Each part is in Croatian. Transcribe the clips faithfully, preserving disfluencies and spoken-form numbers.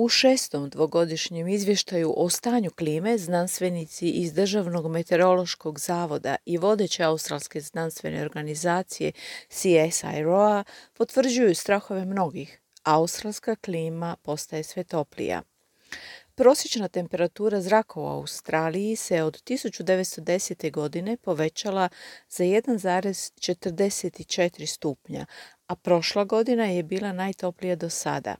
U šestom dvogodišnjem izvještaju o stanju klime znanstvenici iz Državnog meteorološkog zavoda i vodeće australske znanstvene organizacije C S I R O A potvrđuju strahove mnogih. Australska klima postaje sve toplija. Prosječna temperatura zraka u Australiji se od tisuću devetsto desete. godine povećala za jedan zarez četrdeset četiri stupnja, a prošla godina je bila najtoplija do sada.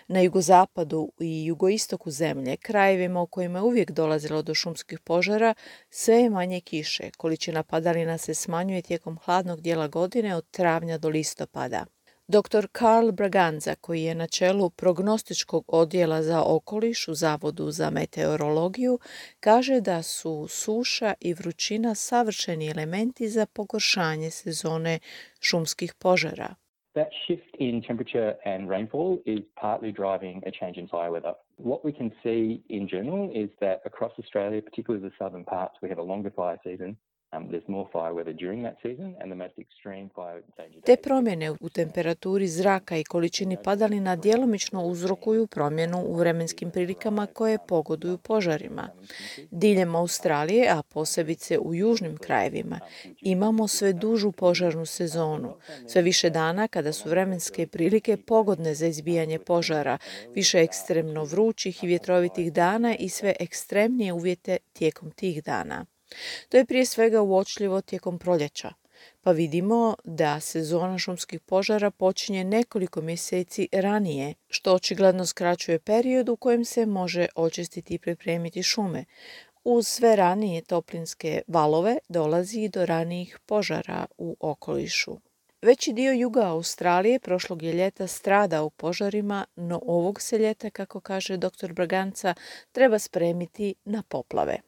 Na jugozapadu i jugoistoku zemlje, krajevima u kojima je uvijek dolazilo do šumskih požara, sve je manje kiše. Količina padalina se smanjuje tijekom hladnog dijela godine od travnja do listopada. doktor Carl Braganza, koji je na čelu prognostičkog odjela za okoliš u Zavodu za meteorologiju, kaže da su suša i vrućina savršeni elementi za pogoršanje sezone šumskih požara. That shift in temperature and rainfall is partly driving a change in fire weather. What we can see in general is that across Australia, particularly the southern parts, we have a longer fire season. Um, there's more fire weather during that season and the most extreme fire danger. Te promjene u temperaturi zraka i količini padalina djelomično uzrokuju promjenu u vremenskim prilikama koje pogoduju požarima. Diljem Australije, a posebice u južnim krajevima, imamo sve dužu požarnu sezonu. Sve više dana kada su vremenske prilike pogodne za izbijanje požara, više ekstremno vrućih i vjetrovitih dana i sve ekstremnije uvjete tijekom tih dana. To je prije svega uočljivo tijekom proljeća, pa vidimo da sezona šumskih požara počinje nekoliko mjeseci ranije, što očigledno skraćuje period u kojem se može očistiti i pripremiti šume. Uz sve ranije toplinske valove dolazi i do ranijih požara u okolišu. Veći dio juga Australije prošlog je ljeta strada u požarima, no ovog se ljeta, kako kaže doktor Braganza, treba spremiti na poplave.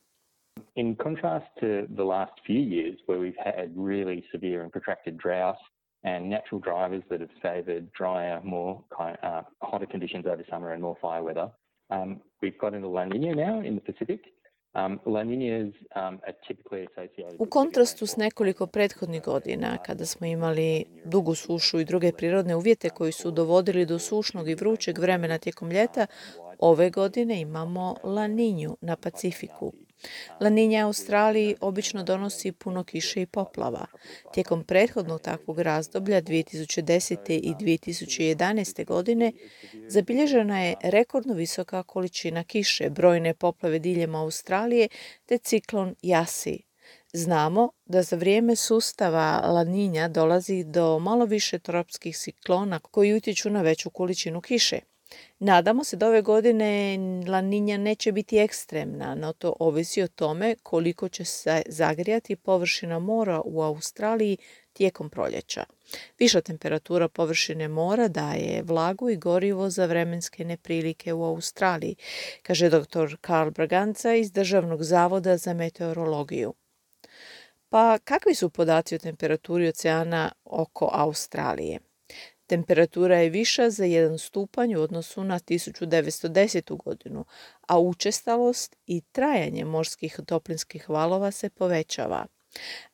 In contrast to the last few years where we've had really severe and protracted droughts and natural drivers that have favoured drier, more kind uh, hotter conditions over summer and more fire weather, um, we've got into La Nina now in the Pacific. Um, La Ninas um, are typically associated U kontrastu s nekoliko prethodnih godina, kada smo imali dugu sušu i druge prirodne uvjete koji su dovodili do sušnog i vrućeg vremena tijekom ljeta, ove godine imamo La Ninju na Pacifiku. La Ninja Australiji obično donosi puno kiše i poplava. Tijekom prethodnog takvog razdoblja dvije tisuće desete. i dvije tisuće jedanaeste. godine zabilježena je rekordno visoka količina kiše, brojne poplave diljem Australije te ciklon Yasi. Znamo da za vrijeme sustava La Ninja dolazi do malo više tropskih ciklona koji utječu na veću količinu kiše. Nadamo se da ove godine La Ninja neće biti ekstremna, no to ovisi o tome koliko će se zagrijati površina mora u Australiji tijekom proljeća. Viša temperatura površine mora daje vlagu i gorivo za vremenske neprilike u Australiji, kaže doktor Carl Braganza iz Državnog zavoda za meteorologiju. Pa kakvi su podaci o temperaturi oceana oko Australije? Temperatura je viša za jedan stupanj u odnosu na tisuću devetsto desetu. godinu, a učestalost i trajanje morskih toplinskih valova se povećava.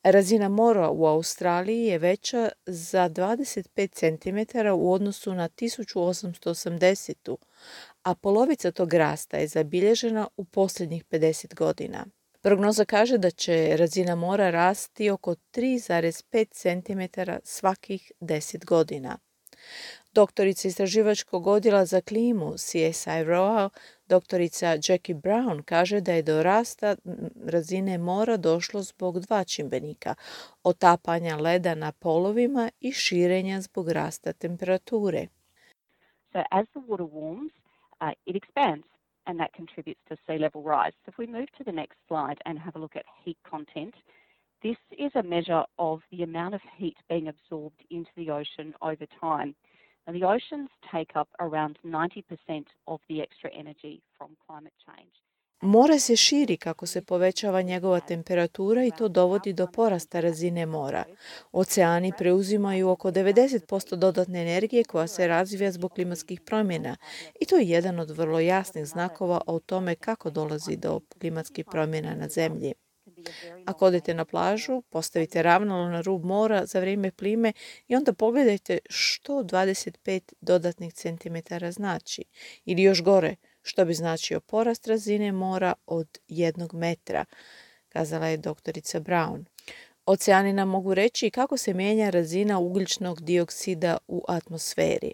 Razina mora u Australiji je veća za dvadeset pet centimetara u odnosu na tisuću osamsto osamdesetu. a polovica tog rasta je zabilježena u posljednjih pedeset godina. Prognoza kaže da će razina mora rasti oko tri zarez pet centimetara svakih deset godina. Doktorica istraživačkog odjela za klimu C S I R O A, doktorica Jackie Brown, kaže da je do rasta razine mora došlo zbog dva čimbenika, otapanja leda na polovima i širenja zbog rasta temperature. So as the water warms, uh, it expands and that contributes to sea level rise. So if we move to the next slide and have a look at heat content, this is a measure of the amount of heat being absorbed into the ocean over time. And the oceans take up around ninety percent of the extra energy from climate change. More se širi kako se povećava njegova temperatura i to dovodi do porasta razine mora. Oceani preuzimaju oko devedeset posto dodatne energije koja se razvija zbog klimatskih promjena i to je jedan od vrlo jasnih znakova o tome kako dolazi do klimatskih promjena na zemlji. Ako odete na plažu, postavite ravnalo na rub mora za vrijeme plime i onda pogledajte što dvadeset pet dodatnih centimetara znači. Ili još gore, što bi značio porast razine mora od jednog metra, kazala je doktorica Brown. Oceani nam mogu reći kako se mijenja razina ugljičnog dioksida u atmosferi.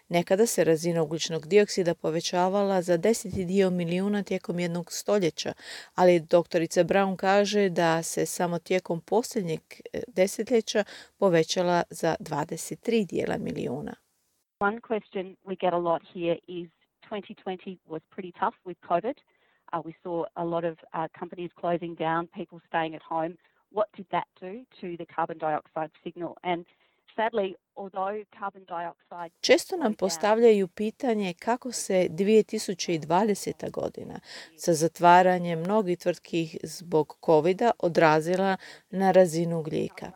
Nekada se razina ugljičnog dioksida povećavala za deseti dio milijuna tijekom jednog stoljeća, ali doktorica Brown kaže da se samo tijekom posljednjeg desetljeća povećala za dvadeset tri dijela milijuna. One question we get a lot here is twenty twenty was pretty tough with COVID. Uh, we saw a lot of uh, companies closing down, people staying at home. What did that do to the carbon dioxide signal? And sadly, although carbon dioxide... Često nam postavljaju pitanje kako se dvije tisuće dvadeseta godina sa zatvaranjem mnogih tvrtki zbog covida odrazila na razinu ugljika.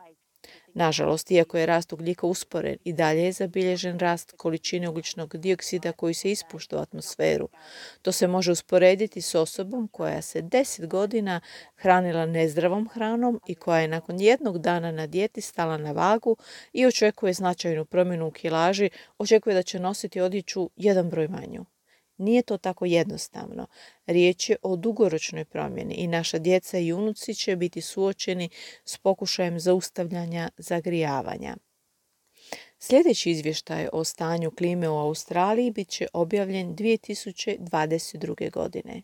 Nažalost, iako je rast ugljika usporen, i dalje je zabilježen rast količine ugljičnog dioksida koji se ispušta u atmosferu. To se može usporediti s osobom koja se deset godina hranila nezdravom hranom i koja je nakon jednog dana na dijeti stala na vagu i očekuje značajnu promjenu u kilaži, očekuje da će nositi odjeću jedan broj manju. Nije to tako jednostavno. Riječ je o dugoročnoj promjeni i naša djeca i unuci će biti suočeni s pokušajem zaustavljanja zagrijavanja. Sljedeći izvještaj o stanju klime u Australiji bit će objavljen dvije tisuće dvadeset druge godine.